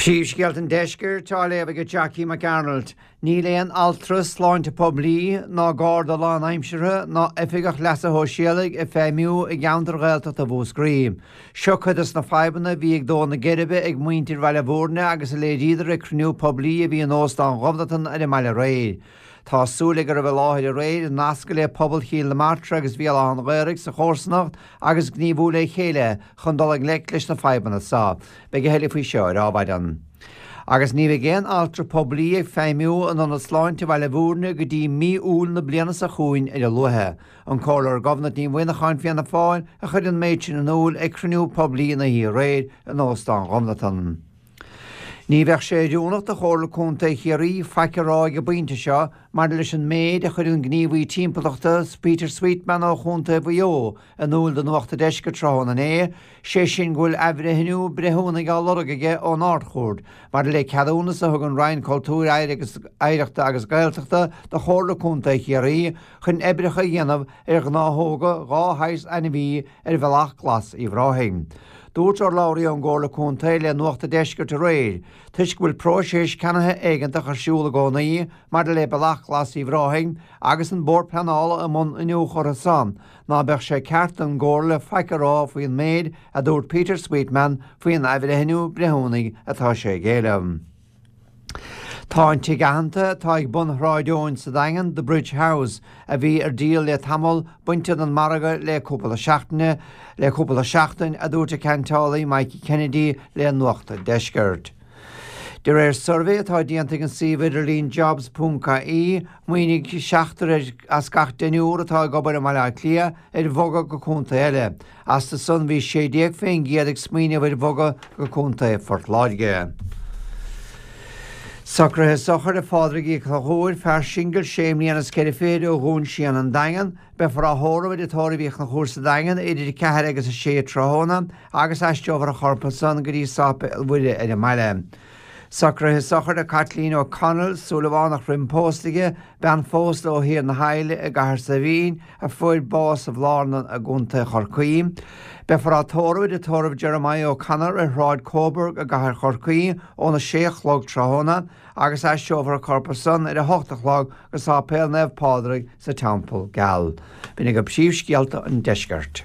Príomhscéalta an Deiscirt á léamh ag Jackie Mac Arnold. Níl aon altra sláinte poiblí, ná garda lánaimseartha, ná oifigeach leasa shóisialaigh ag feidhmiú i gceantar Ghaeltachta Mhúscraí. Seo cuid dos na fadhbanna a bhí ag dó na geirbe ag muintir Bhaile Bhúirne agus a léiríodar ag cruinniú poiblí a bhí in Óstán Ghobnatan ar an mbaile aréir. Tá súil ag a raibh i láthair aréir nascadh le pobal Chill na Martra agus Bhéal Átha an Ghaorthaidh sa chomharsanacht agus gníomhú le chéile chun dul i ngleic leis na fadhbanna seo. Beidh a thuilleadh faoi seo ar Adhmhaidin. Agus ní bheidh aon altra poiblí ag feidhmiú in Ionad Sláinte Bhaile Bhúirne go dtí mí Iúil na bliana seo chugainn ar a luaithe. An Comhairleoir Gobnait Ní Mhuineacháin, Fianna Fáil, a chuir an méid sin in iúl ag cruinniú poiblí an oíche aréir in Óstán Ghobnatan. Ní bheadh sé oiriúnach do Chomhairle Contae Chiarraí faic a rá ag an bpointe seo maidir leis an méid a chuir an gníomhaí timpeallachta Peter Sweetman ó Chontae Mhaigh Eo in iúl do Nuacht an Deiscirt tráthnóna inné, sé sin go bhfuil athbhreithniú breithiúnaigh á lorg aige ón Ard-Chúirt maidir le ceadúnas a thug an Roinn Cultúir, Oidhreachta agus Gaeltachta do Chomhairle Contae Chiarraí chun oibreacha a dhéanamh ar ghnáthóga 2 shaghas ainmhí ar Bhealach Glas Uíbh Ráthaigh. Dúirt urlabhraí ón gComhairle Contae le Nuacht an Deiscirt aréir, toisc go bhfuil próiseas ceannaithe éigeantach ar siúl i gcónaí maidir le Bealach Glas Uíbh Ráthaigh agus an Bord Pleanála i mbun iniúchadh orthu san, ná beadh sé ceart don gComhairle faic a rá faoin méid a dúirt Peter Sweetman faoin athbhreithniú breithiúnaigh atá sé ag éileamh. Tá an tigh aitheanta atá ag bun Shráid Eoin sa Daingean, The Bridge House, a bhí ar díol le tamall, bainte den margadh le cúpla seachtaine le cúpla seachtain, a dúirt a ceantálaí Mikey Kennedy le Nuacht an Deiscirt. De réir suirbhé atá déanta ag an suíomh idirlín jobs.ie, smaoinigh seachtar as gach deichniúr atá ag obair i mBaile Átha Cliath ar bhogadh go contae eile. Astu san bhí 16% ag smaoineamh ar bhogadh go Contae Phort Láirge. Socruithe sochair do Phádraig Uí Chonchúir, fear singil sé mbliana is ceithre fichid ó Dhún Síon an Daingean. Beifear á thórramh i dTigh Tórraimh Uí Chonchúir sa Daingean idir 4 agus 6 tráthnóna agus aistreofar a chorp ansan go dtí Sáipéal Mhuire ar an mbaile. Socruithe sochair do Caitlín O'Connell, Súilleabhánach roim pósta di, bean phósta ó Thír na hAille i gCathair Saidhbhín, a fuair bás i mBlárna i gContae Chorcaí. Beifear á tórramh i dTigh Tórraimh Jeremiah O'Connor ar Shráid Coburg i gCathair Chorcaí óna 6 a chlog tráthnóna agus aistreofar a corp ansan ar a 8 a chlog go Sáipéal Naomh Pádraig sa Teampall Geal. B'in agaibh príomhscéalta an deiscirt.